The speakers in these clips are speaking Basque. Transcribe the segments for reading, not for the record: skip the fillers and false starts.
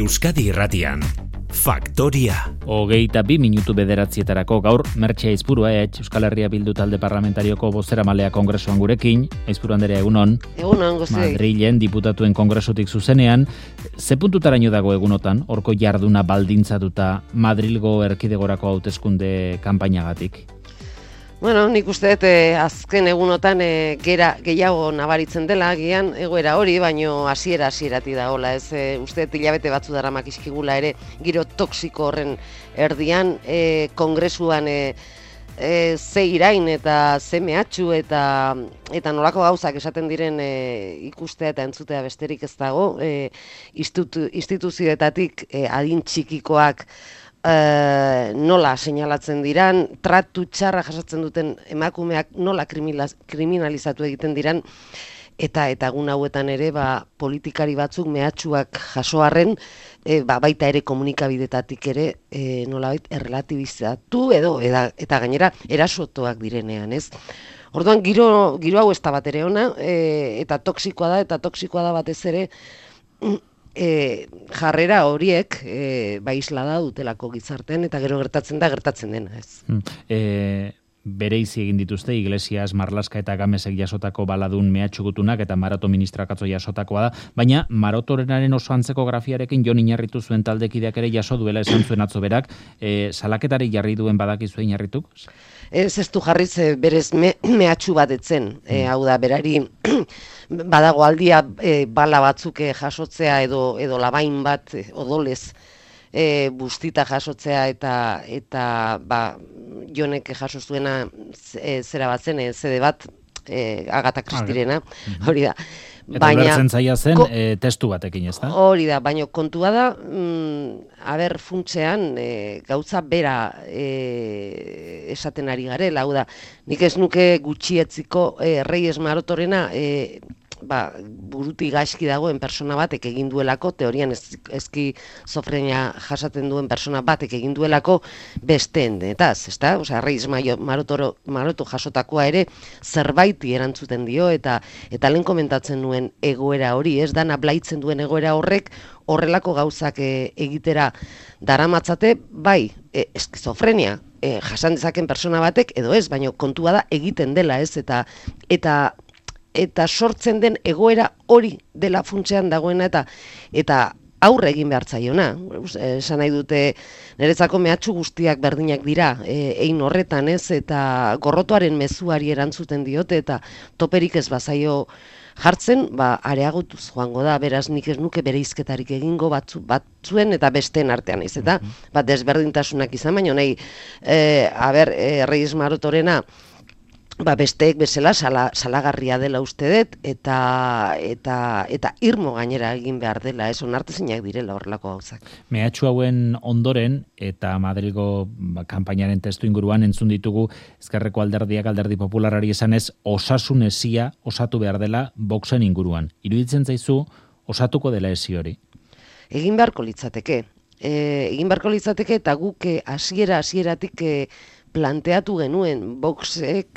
Euskadi Irratian, Faktoria. 22 minutu bederatzietarako gaur Mertxe Aizpurua Euskal Herria Bildu talde parlamentarioko bozeramalea kongresuan gurekin. Aizpuru Anderea, egunon. Egunon, guztioi. Madrilen diputatuen kongresutik zuzenean. Ze puntutaraino dago egunotan, horko jarduna baldintzatuta Madrilgo erkidegorako hauteskunde kanpainagatik? Bueno, nik uste dut azken egunotan gehiago nabaritzen dela, gian egoera hori, baino hasieratik dagoela, ez uste dut hilabete batzu daramak izkigula ere giro toksiko horren erdian, kongresuan ze irain eta ze mehatxu eta nolako gauzak esaten diren ikustea eta entzutea besterik ez dago, instituzioetatik adin txikikoak nola seinalatzen diran, tratu txarra jasatzen duten emakumeak nola kriminalizatu egiten diran, eta egun hauetan ere politikari batzuk mehatxuak jasoarren, baita ere komunikabidetatik ere nolabait errelatibizatu eta gainera erasotuak direnean, ez? Orduan giro hau ez da bat ere ona, eta toksikoa da batez ere jarrera horiek islada dutelako gizartean eta gero gertatzen dena, ez. Bereizi egin dituzte Iglesias, Marlaska eta Gamesek jasotako baladun mehatxugutunak eta Maroto ministrakatzo jasotakoa da, baina Marotorenaren oso antzeko grafiarekin Jon Iñarritu zuen taldekideak ere jaso duela esan zuen atzo berak, salaketari jarri duen badakizue Iñarrituk? Ez du jarriz berez mehatxu bat etzen, hau da, berari badago aldia bala batzuk jasotzea edo labain bat odolez bustita jasotzea eta Jonek jaso zuena zera bat zen, zede bat Agatha Christiena, hori da. Eta ulertzen zaila zen testu batekin, ez da? Hori da, baina kontua da, funtsean gauza bera esaten ari garela, hau da, nik ez nuke gutxietziko Reyes Marotorena buruti gaizki dagoen persona batek egin duelako, teorian eskizofrenia jasaten duen persona batek egin duelako besteen, eta osea, Reyes Maroto jasotakoa ere zerbaiti erantzuten dio, eta lehen komentatzen nuen egoera hori, ez dana blaitzen duen egoera horrek, horrelako gauzak egitera daramatzate, bai, eskizofrenia jasan dezaken persona batek, edo ez, baina kontua da egiten dela, ez, eta sortzen den egoera hori dela funtsean dagoena eta aurre egin behar zaiona. Esan nahi dute, niretzako mehatxu guztiak berdinak dira, hein horretan, ez, eta gorrotoaren mezuari erantzuten diote, eta toperik ez bazaio jartzen, areagotuz joango da, beraz nik ez nuke bereizketarik egingo batzuen eta besteen artean, ez, eta desberdintasunak izan, baina nahi, Reyes Marotorena, besteek bezala salagarria dela uste dut, eta irmo gainera egin behar dela, ez onartezinak direla horrelako gauzak. Mehatxu hauen ondoren, eta Madrilgo kanpainaren testu inguruan entzun ditugu Ezkerreko alderdiak alderdi popularari esanez, osasun esia osatu behar dela Voxen inguruan. Iruditzen zaizu, osatuko dela esi hori? Egin beharko litzateke. Eta guk hasieratik planteatu genuen, Voxek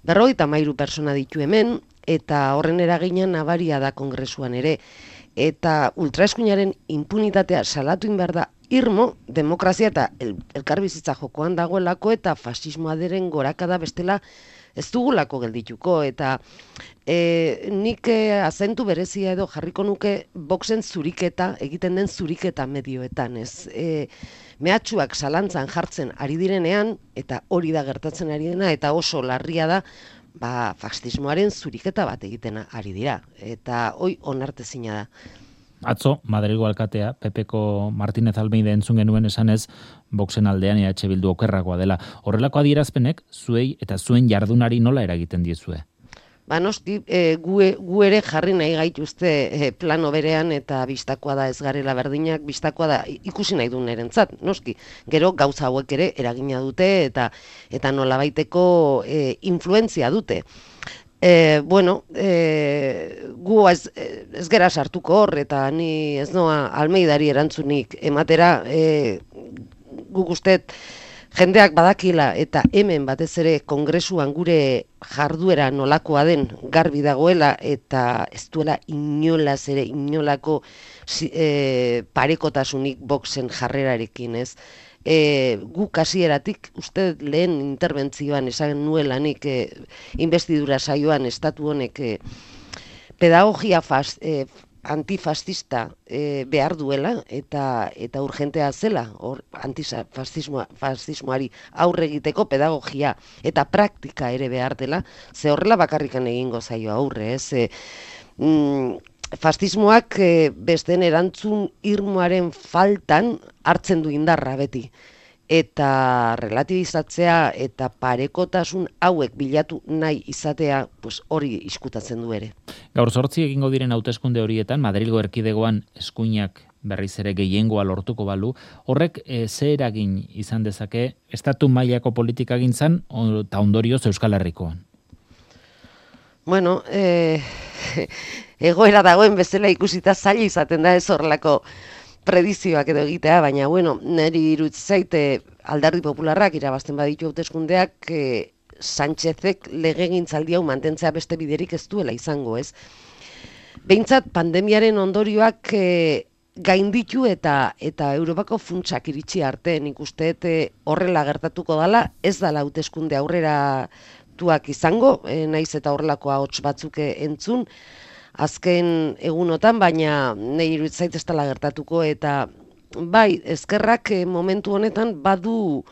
53 persona ditu hemen, eta horren eragina nabaria da kongresuan ere. Eta ultraeskuinaren impunitatea salatu behar da irmo, demokrazia eta elkarbizitza jokoan dagoelako, eta fasismoa deren gorakada bestela ez dugulako geldituko, eta nik azentu berezia edo jarriko nuke Voxen zuriketa, egiten den zuriketa medioetan, ez? Mehatxuak zalantzan jartzen ari direnean, eta hori da gertatzen ari dena, eta oso larria da, fascismoaren zuriketa bat egiten ari dira, eta hoi onartezina da. Atzo, Madrilgo alkatea, PPko Martínez Almeida entzun genuen esanez, Voxen aldean EH Bildu okerrakoa dela. Horrelako adierazpenek, zuei eta zuen jardunari nola eragiten diezue? Noski, gu ere jarri nahi gaituzte plano berean, eta bistakoa da ez garela berdinak, bistakoa da ikusi nahi duen erentzat, noski. Gero gauza hauek ere eragina dute, eta nolabaiteko influentzia dute. Gu ez gera sartuko hor, eta ni ez noa Almeidari erantzunik ematera, guk ustet jendeak badakila eta hemen batez ere kongresuan gure jarduera nolakoa den garbi dagoela eta ez duela inolako parekotasunik Voxen jarrerarekin, ez? Guk hasieratik uste lehen interbentzioan esan nuelanik investidura saioan estatu honek pedagogia antifascista behar duela eta urgentea zela antifascismoari aurre egiteko pedagogia eta praktika ere behar dela, ze horrela bakarrikan egingo zaio aurre, ez? Fascismoak besteen erantzun irmoaren faltan hartzen du indarra beti. Eta relatibizatzea eta parekotasun hauek bilatu nahi izatea, pues hori iskutatzen du ere. Gaur 8 egingo diren hauteskunde horietan, Madrilgo erkidegoan eskuinak berriz ere gehiengoa lortuko balu, horrek ze eragin izan dezake estatu mailako politikagintzan eta ondorioz Euskal Herrikoan? Bueno, egoera dagoen bezala ikusita zaila izaten da ez horrelako predizioak edo egitea, baina bueno, niri iruditzen zaite Alderdi Popularrak irabazten baditu hauteskundeak Sánchezek legegintzaldi hau mantentzea beste biderik ez duela izango, ez? Behintzat pandemiaren ondorioak gainditu eta Europako funtsak iritsi arte, nik uste horrela gertatuko dela, ez dela hauteskunde aurreratuak izango, naiz eta horrelako ahots batzuk entzun, azken egunotan, baina nahi iruditzen zait ez dela gertatuko eta bai, ezkerrak momentu honetan badu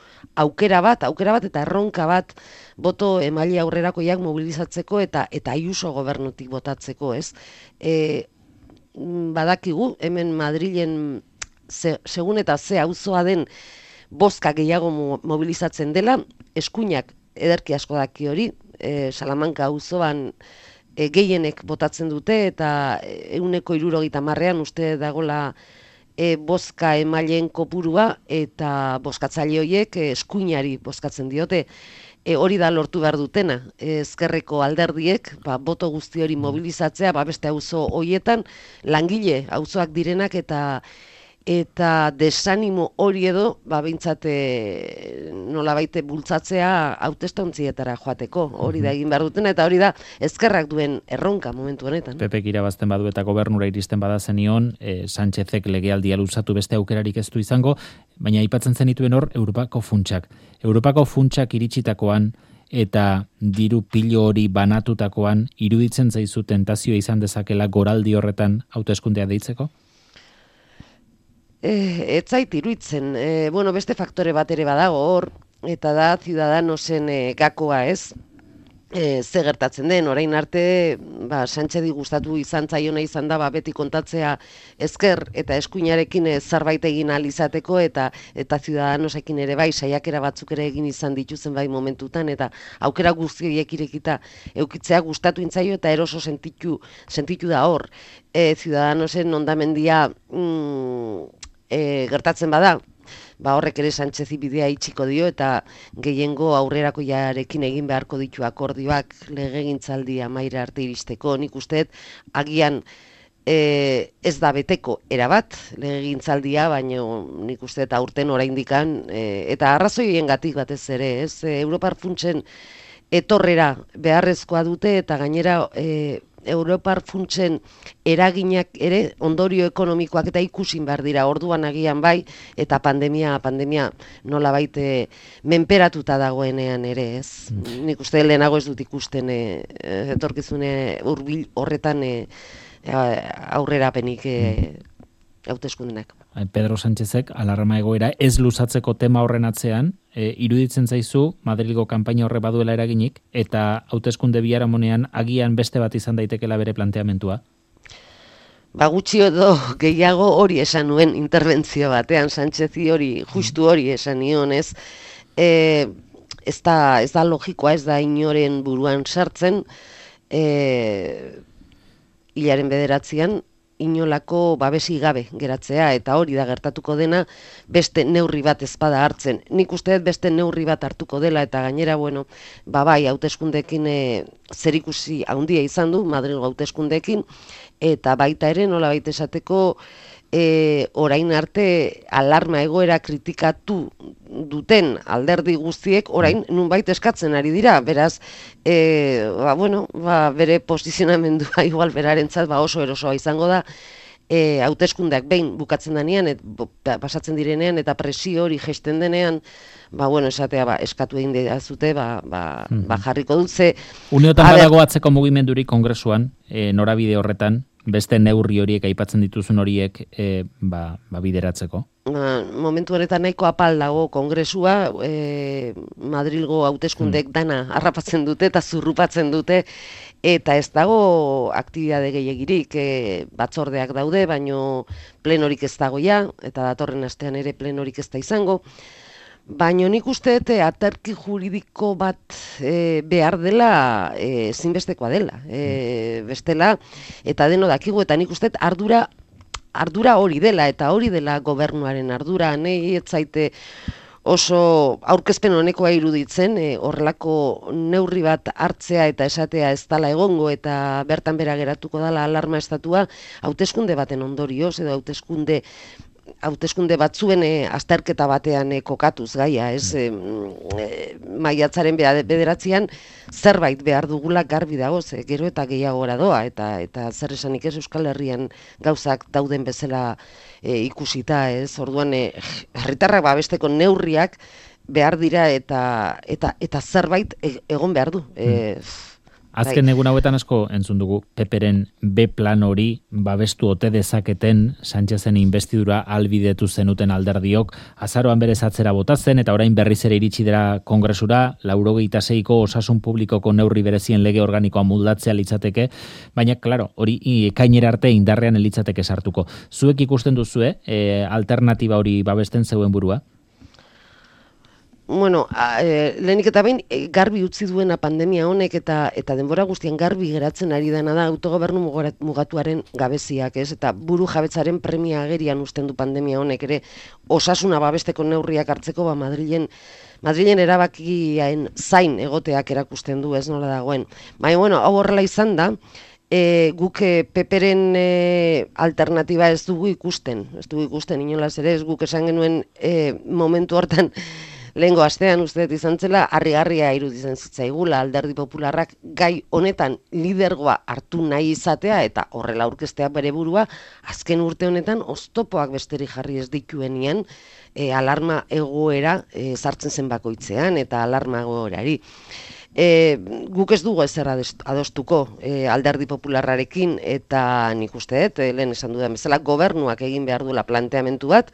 aukera bat eta erronka bat boto emaile aurrerakoiak mobilizatzeko eta Ayuso gobernutik botatzeko, ez? Badakigu, hemen Madrilen segun eta ze auzoa den bozka gehiago mobilizatzen dela, eskuinak ederki asko daki hori, Salamanca auzoan gehienek botatzen dute eta 70%an uste dagola bozka emaileen kopurua eta bozkatzaile horiek eskuinari bozkatzen diote. Hori da lortu behar dutena, ezkerreko alderdiek, boto guzti hori mobilizatzea, beste auzo horietan, langile auzoak direnak eta desanimo hori edo, behintzat nolabait bultzatzea hautestonzietara joateko, hori da egin behar dutena, eta hori da ezkerrak duen erronka momentu honetan. Pepek irabazten badu eta gobernura iristen bada zenion, Sánchezek legealdia luzatu beste aukerarik ez du izango, baina aipatzen zenituen hor Europako funtsak. Europako funtsak iritsitakoan eta diru pilo hori banatutakoan iruditzen zaizu tentazioa izan dezakela goraldi horretan hauteskundea deitzeko? Ez zait iruditzen, beste faktore bat ere badago hor, eta da Ciudadanosen gakoa, ez? Ze gertatzen den, orain arte, Sánchezi gustatu izan zaiona izan da, beti kontatzea ezker eta eskuinarekin zerbait egin ahal izateko, eta Ciudadanosekin ere bai, saiakera batzuk ere egin izan dituzen bai momentutan, eta aukera guztiek irekita eukitzea gustatu intzaio, eta eroso sentitu da hor. Ciudadanosen ondamendia gertatzen bada, horrek ere Sánchezi bidea itxiko dio eta gehiengo aurrerakoiarekin egin beharko ditu akordioak legegintzaldi amaira arte iristeko. Nik usteet agian ez da beteko erabat legegintzaldia, baina nik usteet aurten oraindikan eta arrazoiengatik batez ere, ez? Europar funtsen etorrera beharrezkoa dute eta gainera Europar funtsen eraginak ere ondorio ekonomikoak eta ikusin behar dira, orduan agian bai, eta pandemia nolabait menperatuta dagoenean ere, ez? Nik uste lehenago ez dut ikusten etorkizune hurbil horretan aurrerapenik hauteskundenak. Pedro Sánchezek alarma egoera ez luzatzeko tema horren atzean, iruditzen zaizu Madrilgo kanpaina horre baduela eraginik, eta hauteskunde biharamonean agian beste bat izan daitekela bere planteamentua? Gutxi edo gehiago hori esan nuen interbentzio batean, Sánchezi hori, justu hori esan nion, ez? Ez da logikoa, ez da inoren buruan sartzen, hilaren 9 inolako babesi gabe geratzea, eta hori da gertatuko dena beste neurri bat ezpada hartzen. Nik uste dut beste neurri bat hartuko dela, eta gainera, bai, hauteskundeekin zerikusi handia izan du, Madrilgo hauteskundeekin, eta baita ere nolabait esateko orain arte alarma egoera kritikatu duten alderdi guztiek orain nunbait eskatzen ari dira, beraz, bere posizionamendua igual berarentzat oso erosoa izango da, hauteskundeak behin bukatzen denean, pasatzen direnean, eta presio hori jesten denean, esatea, eskatu egin dezute, jarriko dut, ze... Uneotan badago atzeko mugimendurik kongresuan, norabide horretan, beste neurri horiek aipatzen dituzun horiek bideratzeko? Momentu honetan nahiko apal dago kongresua, Madrilgo hauteskundek dana harrapatzen dute eta zurrupatzen dute, eta ez dago aktibitate gehiagirik, batzordeak daude, baino plenorik ez dago ja, eta datorren astean ere plenorik ez da izango. Baina nik uste aterki juridiko bat behar dela, ezinbestekoa dela. Bestela, eta deno dakigu, eta nik uste ardura hori dela, eta hori dela gobernuaren ardura, nahi ez zaite oso aurkezpen honekoa iruditzen, horrelako neurri bat hartzea eta esatea ez dala egongo, eta bertan bera geratuko dala alarma estatua, hauteskunde baten ondorioz, edo hauteskunde batzuen azterketa batean kokatuz gaia, ez? Maiatzaren 9 zerbait behar dugula garbi dago, gero eta gehiagora doa, eta zer esanik ez Euskal Herrian gauzak dauden bezala ikusita, ez? Orduan, herritarrak babesteko neurriak behar dira eta zerbait egon behar du. Azken egun hauetan asko entzun dugu Peperen B plan hori babestu ote dezaketen Sánchezen investidura albidetu zenuten alderdiok, azaroan berez atzera bota zen eta orain berriz ere iritsi dira kongresura, 96ko osasun publikoko neurri berezien lege organikoa moldatzea litzateke, baina claro, hori ekainera arte indarrean litzateke sartuko. Zuek ikusten duzue alternatiba hori babesten zeuen burua? Lehenik eta behin garbi utzi duena pandemia honek eta denbora guztian garbi geratzen ari dena da autogobernu mugatuaren gabeziak, ez? Eta buru jabetzaren premia agerian uzten du pandemia honek ere osasuna babesteko neurriak hartzeko Madrilen erabakiaen zain egoteak erakusten du, ez nola dagoen. Baina, hau horrela izan da, guk Peperen alternatiba ez dugu ikusten inolaz ere, ez guk esan genuen momentu hortan, lehengo astean uste izan zela, harri-harria iruditzen zitzaigula Alderdi Popularrak gai honetan lidergoa hartu nahi izatea eta horrela aurkeztea bere burua, azken urte honetan oztopoak besterik jarri ez dituenean alarma egoera sartzen zen bakoitzean eta alarma egoerari. Guk ez dugu ezer adostuko Alderdi Popularrarekin eta nik uste dut, lehen esan dudan bezala, gobernuak egin behar duela planteamendu bat,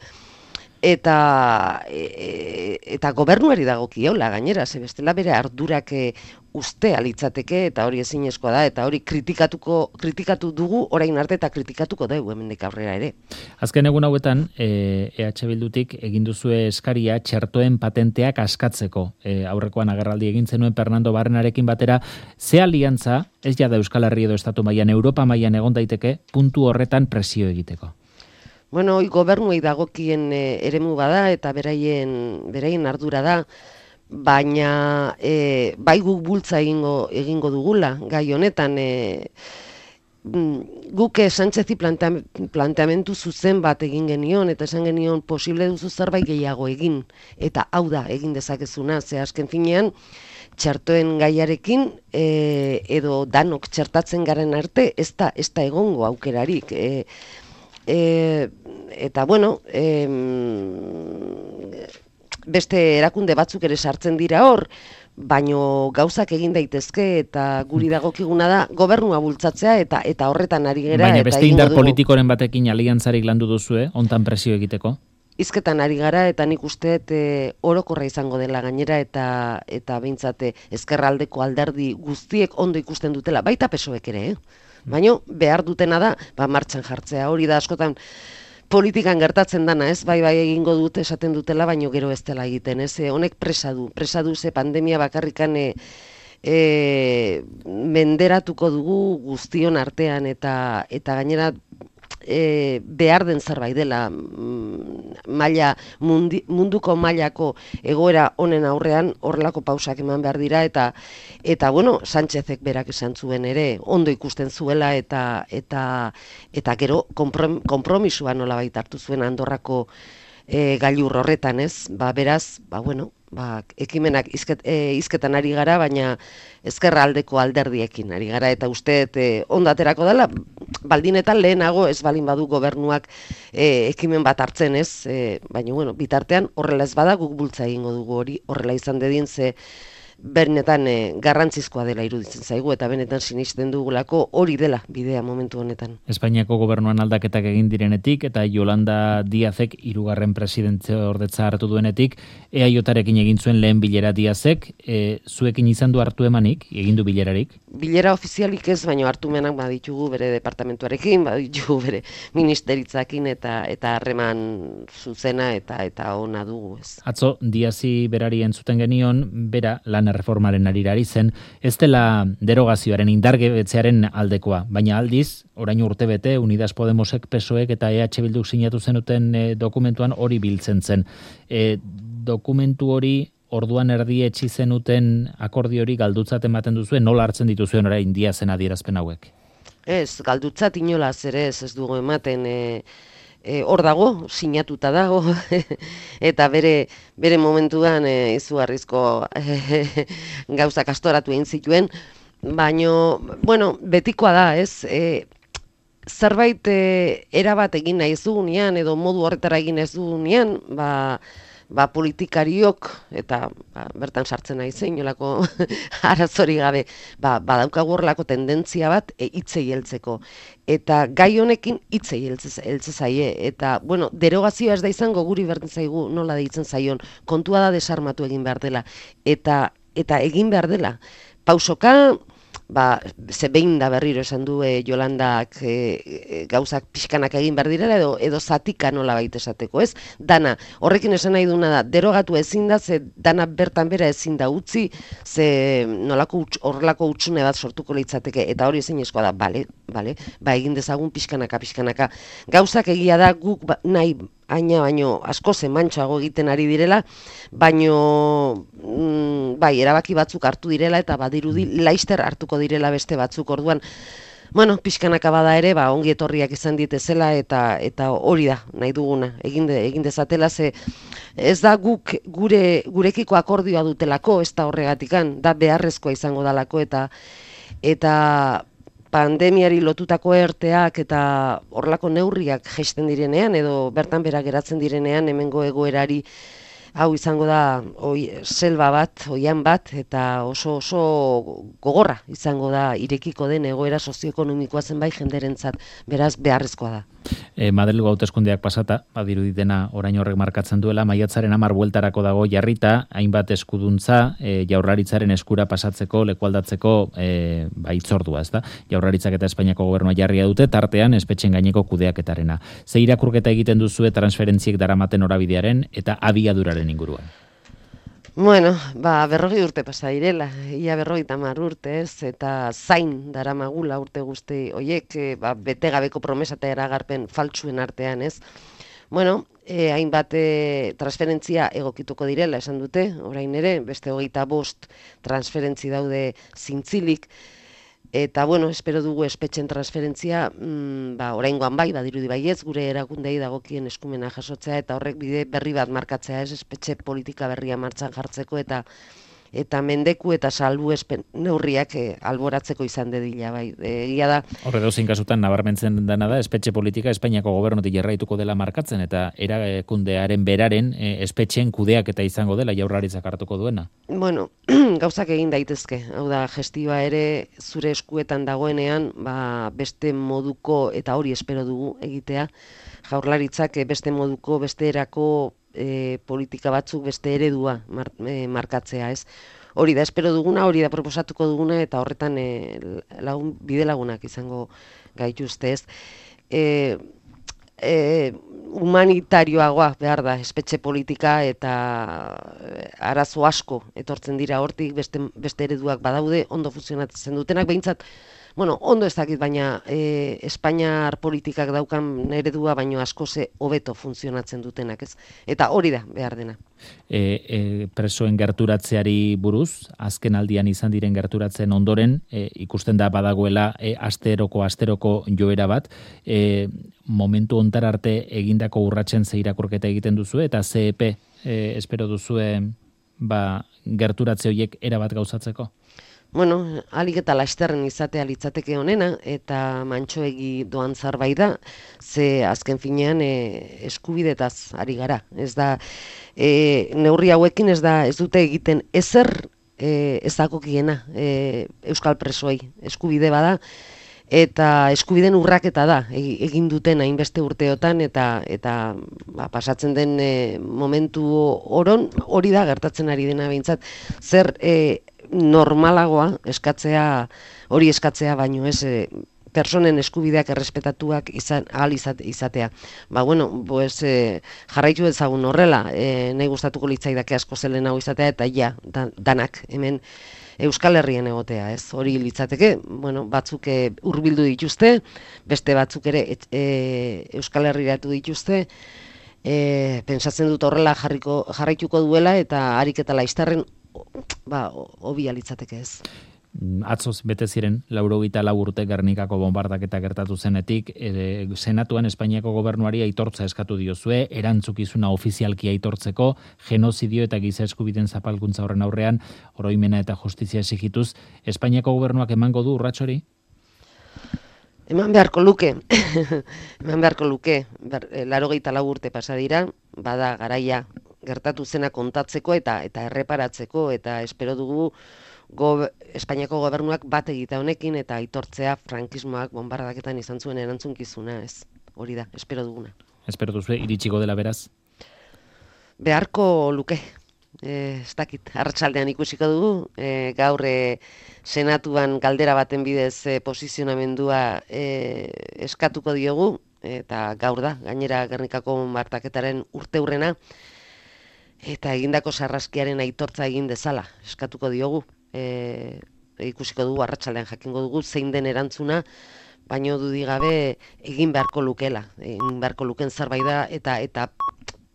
eta gobernuari dagokiola gainera, ze bestela bere ardurak ustea litzateke eta hori ezinezkoa da, eta hori kritikatu dugu orain arte eta kritikatuko dugu hemendik aurrera ere. Azken egun hauetan, EH Bildutik egin duzue eskaria txertoen patenteak askatzeko. Aurrekoan agerraldi egin zenuen Fernando Barrenarekin batera, ze aliantza, ez jada Euskal Herri edo Estatu mailan, Europa mailan egon daiteke, puntu horretan presio egiteko? Gobernuei dagokien eremu bada eta beraien ardura da, baina bai guk bultza egingo dugula gai honetan. Guk Sánchezi planteamendu zuzen bat egin genion eta esan genion posible duzu zerbait gehiago egin, eta hau da egin dezakezuna, ze azken finean txertoen gaiarekin edo danok txertatzen garen arte ez da egongo aukerarik. Eta beste erakunde batzuk ere sartzen dira hor, baino gauzak egin daitezke eta guri dagokiguna da gobernua bultzatzea eta horretan ari gera. Baina beste indar politikoren batekin aliantzarik landu duzue, hontan presio egiteko? Hizketan ari gara eta nik uste orokorra izango dela gainera eta behintzat ezkerraldeko alderdi guztiek ondo ikusten dutela, baita PSOEk ere, baina behar dutena da, martxan jartzea, hori da askotan politikan gertatzen dana, ez, bai egingo dute esaten dutela, baino gero ez dela egiten, ez, honek presa du ze pandemia bakarrikan menderatuko dugu guztion artean eta gainera behar den zerbait dela munduko mailako egoera honen aurrean horrelako pausak eman behar dira eta Sánchezek berak esan zuen ere ondo ikusten zuela eta gero konpromisua nolabait hartu zuen Andorrako gailur horretan, ez? Beraz, bueno, ekimenak hizketan ari gara, baina ezkerra aldeko alderdiekin ari gara, eta uste ondaterako dela, baldinetan lehenago ez balin badu gobernuak ekimen bat hartzen, ez? Baina, bueno, bitartean horrela ez bada guk bultza egingo dugu hori, horrela izan dedin, ze benetan garrantzizkoa dela iruditzen zaigu, eta benetan sinisten dugulako hori dela bidea momentu honetan. Espainiako gobernuan aldaketak egin direnetik, eta Yolanda Díazek 3. presidente ordetza hartu duenetik, EAJarekin egin zuen lehen bilera Díazek, zuekin izan du hartu emanik, egin du bilerarik? Bilera ofizialik ez, baino hartumenak baditugu bere departamentuarekin, baditugu bere ministeritzakin, eta harreman zuzena eta ona dugu, ez. Atzo, Díazi berari entzuten genion, bera lan erreformaren arirari zen, ez dela derogazioaren indargebetzearen aldekoa, baina aldiz, orain urtebete, Unidas Podemosek, PSOEk eta EH Bilduk sinatu zenuten dokumentuan hori biltzen zen. Dokumentu hori orduan erdietsi zenuten akordio hori galdutzat ematen duzuen, nola hartzen dituzuen orain Díazen adierazpen hauek? Ez, galdutzat inolaz ere ez dugu ematen, hor dago, sinatuta dago, eta bere momentuan izugarrizko gauzak astoratu egin zituen, baino, bueno, betikoa da, ez? Zerbait erabat egin nahi ez dugunean, edo modu horretara egin ez dugunean, politikariok, eta bertan sartzen nahi zein, nolako arazori gabe, badaukagu horrelako tendentzia bat hitzei heltzeko. Eta gai honekin hitzei heltze zaie. Eta, bueno, derogazioa ez da izango guri berdin zaigu nola deitzen zaion. Kontua da desarmatu egin behar dela. Eta egin behar dela. Pausoka, ze behin da berriro esan du Yolandak gauzak pixkanak egin behar direla edo zatika nola baita esateko, ez? Dana, horrekin esan nahi duna da, derogatu ezin da, ze dana bertan bera ezin da utzi, ze nolako horrelako hutsune bat sortuko litzateke, eta hori ezin eskoa da, bale, egin dezagun pixkanaka. Gauzak egia da guk nahi baino asko zemantxoago egiten ari direla, baino erabaki batzuk hartu direla eta badirudi laister hartuko direla beste batzuk, orduan bueno, pixkanaka bada ere, ongi etorriak izan ditezela eta hori da nahi duguna, egin dezatela, ze ez da guk gurekiko akordioa dutelako, ez da horregatikan, da beharrezkoa izango dalako eta pandemiari lotutako erteak eta horrelako neurriak jaisten direnean edo bertan bera geratzen direnean hemengo egoerari hau izango da selba bat, oian bat, eta oso gogorra izango da irekiko den egoera sozioekonomikoa zenbait jenderentzat, beraz beharrezkoa da. Madrilgo hauteskundeak pasata, badiruditena orain horrek markatzen duela, maiatzaren 10 bueltarako dago jarrita, hainbat eskuduntza Jaurlaritzaren eskura pasatzeko, lekualdatzeko hitzordua, ezta? Jaurlaritzak eta Espainiako gobernua jarria dute, tartean espetxen gaineko kudeaketarena. Ze irakurketa egiten duzue transferentziek daramaten orabidearen eta abiaduraren inguruan? Bueno, 40 urte pasa direla, ia 50 urte, ez, eta zain daramagula urte guzti hoiek, betegabeko promesa eta eragarpen faltsuen artean, ez. Bueno, hainbat transferentzia egokituko direla esan dute, orain ere, beste 25 transferentzi daude zintzilik, eta, bueno, espero dugu espetxen transferentzia, oraingoan badirudi baietz, gure erakundei dagokien eskumena jasotzea, eta horrek bide berri bat markatzea, ez, espetxe politika berria martxan jartzeko, eta mendeku eta salbuespen neurriak alboratzeko izan dedila, bai. Egia da. Horre dozein kasutan nabarmentzen dena da, espetxe politika Espainiako gobernutik jarraituko dela markatzen, eta erakundearen beraren espetxen kudeak eta izango dela Jaurlaritzak hartuko duena. Bueno, gauzak egin daitezke. Hau da, gestioa ere zure eskuetan dagoenean, beste moduko, eta hori espero dugu egitea, Jaurlaritzak beste moduko, beste erako politika batzuk beste eredua markatzea, ez? Hori da espero duguna, hori da proposatuko duguna, eta horretan bide lagunak izango gaituzte, ez? Humanitarioagoa behar da espetxe politika, eta arazo asko etortzen dira hortik, beste ereduak badaude, ondo funtzionatzen dutenak, behintzat bueno, ondo ez dakit, baina Espainiar politikak daukan eredua baino askoze hobeto funtzionatzen dutenak, ez? Eta hori da behar dena. Presoen gerturatzeari buruz, azken aldian izan diren gerturatzen ondoren, ikusten da badagoela asteroko joera bat, momentu hontar arte egindako urratsen ze irakurketa egiten duzu eta CEP espero duzue gerturatze horiek erabat gauzatzeko? Bueno, alik eta lasterren izatea litzateke honena, eta mantsoegi doan zerbait da, ze azken finean eskubidetaz ari gara. Ez da, neurri hauekin ez dute egiten ezer ezagokiena euskal presoei. Eskubide bada, eta eskubiden urraketa da egin duten hainbeste urteotan, eta pasatzen den momentu oron hori da gertatzen ari dena behintzat. Zer normalagoa hori eskatzea baino ez personen eskubideak errespetatuak ahal izatea. Jarraitu ezagun horrela, nahi gustatuko litzaidake asko zelen hau izatea, eta danak hemen Euskal Herrian egotea, ez? Hori litzateke, batzuk hurbildu dituzte, beste batzuk ere Euskal Herriratu dituzte, pentsatzen dut horrela jarraituko duela, eta harik eta laiztarren hobia litzateke, ez. Atzoz bete ziren 84 urte Gernikako bonbardaketa gertatu zenetik, Senatuan Espainiako gobernuari aitortza eskatu diozue, erantzukizuna ofizialki aitortzeko, genozidio eta giza eskubideen zapalkuntza horren aurrean, oroimena eta justizia esigituz, Espainiako gobernuak emango du urrats hori? Eman beharko luke, 84 urte pasa dira, bada garaia gertatu zena kontatzeko eta erreparatzeko, eta espero dugu Espainiako gobernuak bat egita honekin eta aitortzea frankismoak bonbardaketan izan zuen erantzunkizuna, ez. Hori da, espero duguna. Espero duzu, iritsiko dela beraz? Beharko luke. Ez dakit, arratsaldean ikusiko dugu, gaur senatuan galdera baten bidez posizionamendua eskatuko diogu, eta gaur da, gainera Gernikako bonbardaketaren urteurrena, eta egindako sarraskiaren aitortza egin dezala, eskatuko diogu. Ikusiko dugu, arratsaldean jakingo dugu, zein den erantzuna, baino dudik gabe egin beharko lukela, egin beharko luken zerbait da, eta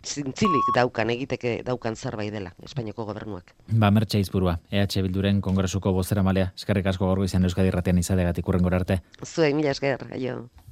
zintzilik egiteke daukan zerbait dela, Espainiako gobernuak. Mertxe Aizpurua, EH Bilduren Kongresuko bozeramalea, eskerrik asko gaur goizean Euskadi Irratian izateagatik hurrengora arte. Zuei, mila esker, aio.